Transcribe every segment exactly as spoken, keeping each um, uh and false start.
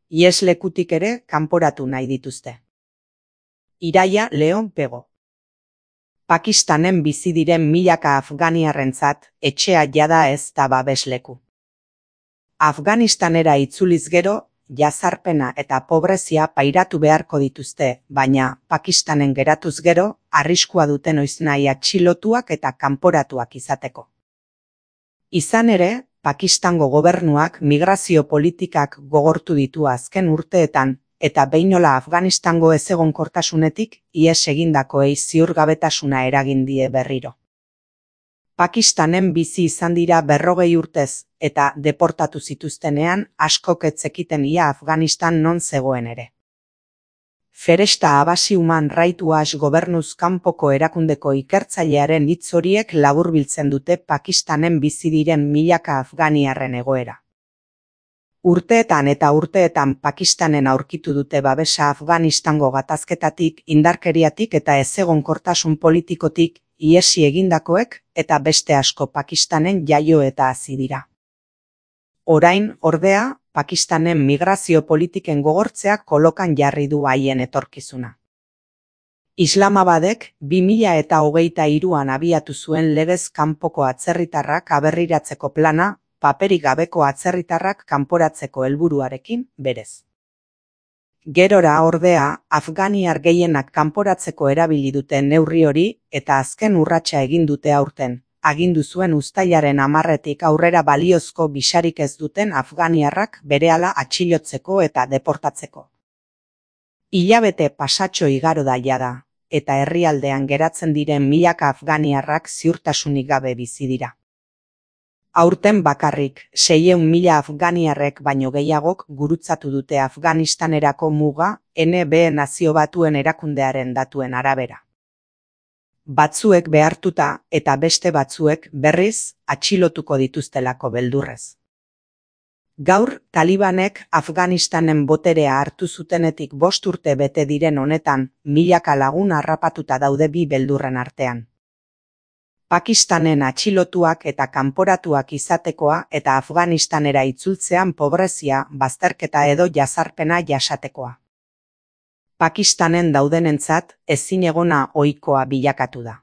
Iheslekutik ere kanporatu nahi dituzte. Iraia Leon Pego. Pakistanen bizi diren milaka afganiarrentzat etxea jada ez da babesleku. Afganistanera itzuliz gero, jazarpena eta pobrezia pairatu beharko dituzte, baina Pakistanen geratuz gero, arriskua duten noiznahi atxilotuak eta kanporatuak izateko. Izan ere, Pakistango gobernuak migrazio politikak gogortu ditu azken urteetan, eta beinola Afganistango ezegonkortasunetik ihes egindakoei ziurgabetasuna eragin die berriro. Pakistanen bizi izan dira berrogei urtez, eta deportatu zituztenean askok ez zekiten ia Afganistan non zegoen ere. Feresta Abasi Human Rights Watch gobernuz kanpoko erakundeko ikertzailearen hitz horiek laburbiltzen dute Pakistanen bizi diren milaka afganiarren egoera. Urteetan eta urteetan Pakistanen aurkitu dute babesa Afganistango gatazketatik, indarkeriatik eta ezegonkortasun politikotik ihesi egindakoek eta beste asko Pakistanen jaio eta hazi dira. Orain, ordea, Pakistanen migrazio politiken gogortzeak kolokan jarri du haien etorkizuna. Islamabadek bi mila eta hogeita hiruan abiatu zuen legez kanpoko atzerritarrak aberriratzeko plana, paperik gabeko atzerritarrak kanporatzeko helburuarekin berez. Gerora ordea, afganiar gehienak kanporatzeko erabili duten neurri hori eta azken urratsa egin dute aurten, agindu zuen uztailaren hamarretik aurrera baliozko bisarik ez duten afganiarrak berehala atxilotzeko eta deportatzeko. Hilabete pasatxo igaro da jada, eta herrialdean geratzen diren milaka afganiarrak ziurtasunik gabe bizi dira. Aurten bakarrik, seiehun mila afganiarrek baino gehiagok gurutzatu dute Afganistanerako muga N B Nazio Batuen erakundearen datuen arabera. Batzuek behartuta eta beste batzuek berriz atxilotuko dituztelako beldurrez. Gaur, Talibanek Afganistanen boterea hartu zutenetik bost urte bete diren honetan, milaka lagun harrapatuta daude bi beldurren artean. Pakistanen atxilotuak eta kanporatuak izatekoa eta Afganistanera itzultzean pobrezia, bazterketa edo jazarpena jasatekoa. Pakistanen daudenentzat ezinegona ohikoa bilakatu da.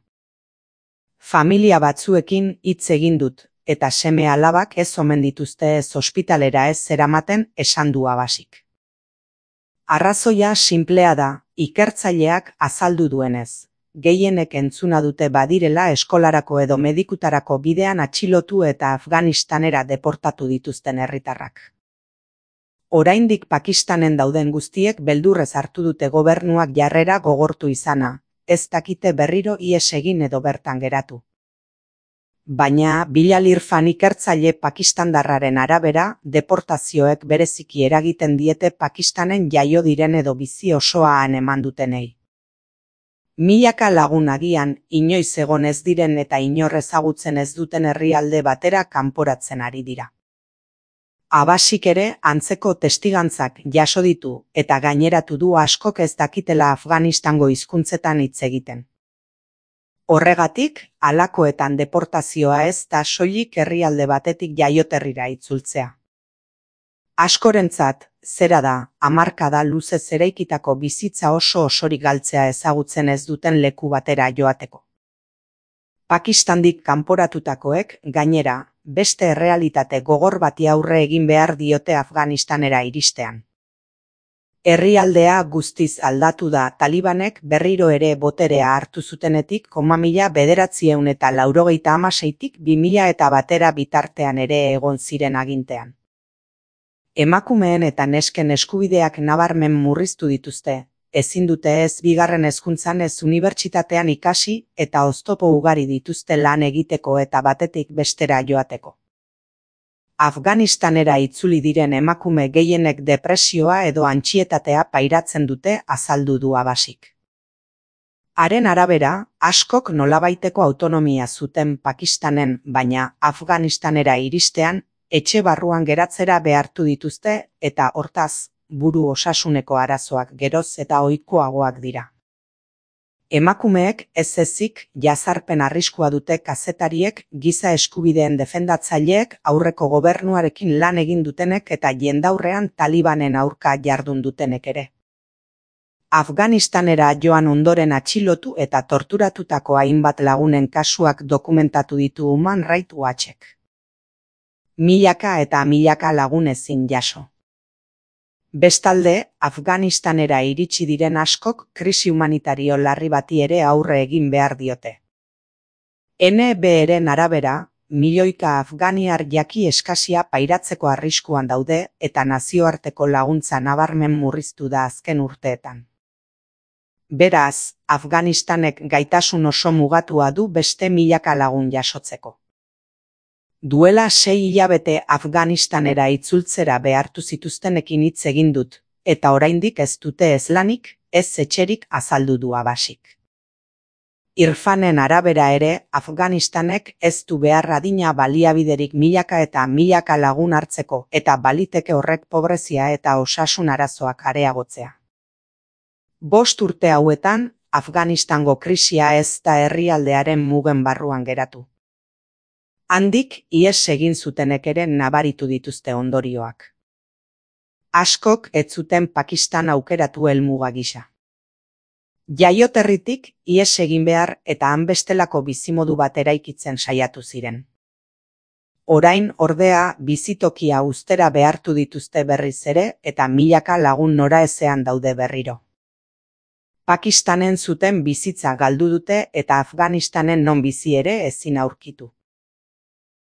Familia batzuekin hitz egin dut, eta seme alabak ez omen dituzte ez ospitalera ez zeramaten esan du Abasik. Arrazoia sinplea da, ikertzaileak azaldu duenez. Gehienek entzuna dute badirela eskolarako edo medikutarako bidean atxilotu eta Afganistanera deportatu dituzten herritarrak. Oraindik Pakistanen dauden guztiek beldurrez hartu dute gobernuak jarrera gogortu izana, ez dakite berriro ihes egin edo bertan geratu. Baina, Bilal Irfan ikertzaile pakistandarraren arabera, deportazioek bereziki eragiten diete Pakistanen jaio diren edo bizi osoa han eman dutenei. Milaka lagun agian, inoiz egon ez diren eta inor ezagutzen ez duten herrialde batera kanporatzen ari dira. Abasik ere antzeko testigantzak jaso ditu eta gaineratu du askok ez dakitela Afganistango hizkuntzetan hitz egiten. Horregatik, halakoetan deportazioa ez da soilik herrialde batetik jaioterrira itzultzea. Askorentzat, zera da, hamarkada luzez eraikitako bizitza oso osorik galtzea ezagutzen ez duten leku batera joateko. Pakistandik kanporatutakoek, gainera, beste errealitate gogor bati aurre egin behar diote Afganistanera iristean. Herrialdea guztiz aldatu da Talibanek berriro ere boterea hartu zutenetik koma mila bederatzieun eta laurogeita hamaseitik bi mila eta batera bitartean ere egon ziren agintean. Emakumeen eta nesken eskubideak nabarmen murriztu dituzte, ezin dute ez bigarren hezkuntzan ez unibertsitatean ikasi eta oztopo ugari dituzte lan egiteko eta batetik bestera joateko. Afganistanera itzuli diren emakume gehienek depresioa edo antsietatea pairatzen dute azaldu du Abasik. Haren arabera, askok nolabaiteko autonomia zuten Pakistanen, baina Afganistanera iristean, etxe barruan geratzera behartu dituzte eta hortaz, buru osasuneko arazoak geroz eta ohikoagoak dira. Emakumeek ez ezik jazarpen arriskua dute kazetariek, giza eskubideen defendatzaileek, aurreko gobernuarekin lan egin dutenek eta jendaurrean Talibanen aurka jardun dutenek ere. Afganistanera joan ondoren atxilotu eta torturatutako hainbat lagunen kasuak dokumentatu ditu Human Rights Watchek. Milaka eta milaka lagun ezin jaso. Bestalde, Afganistanera iritsi diren askok krisi humanitario larri bati ere aurre egin behar diote. N B R-en arabera, milioika afganiar jaki eskasia pairatzeko arriskuan daude eta nazioarteko laguntza nabarmen murriztu da azken urteetan. Beraz, Afganistanek gaitasun oso mugatua du beste milaka lagun jasotzeko. Duela sei hilabete Afganistanera itzultzera behartu zituztenekin hitz egin dut, eta oraindik ez dute ez lanik, ez etxerik azaldu du Abbasik. Irfanen arabera ere, Afganistanek ez du behar adina baliabiderik milaka eta milaka lagun hartzeko eta baliteke horrek pobrezia eta osasun arazoak areagotzea. Bost urte hauetan, Afganistango krisia ez da herrialdearen mugen barruan geratu. Handik ihes egin zutenek ere nabaritu dituzte ondorioak. Askok ez zuten Pakistan aukeratu helmuga gisa. Jaioterritik ihes egin behar eta han bestelako bizimodu bat eraikitzen saiatu ziren. Orain ordea bizitokia uztera behartu dituzte berriz ere eta milaka lagun noraezean daude berriro. Pakistanen zuten bizitza galdu dute eta Afganistanen non bizi ere ezin aurkitu.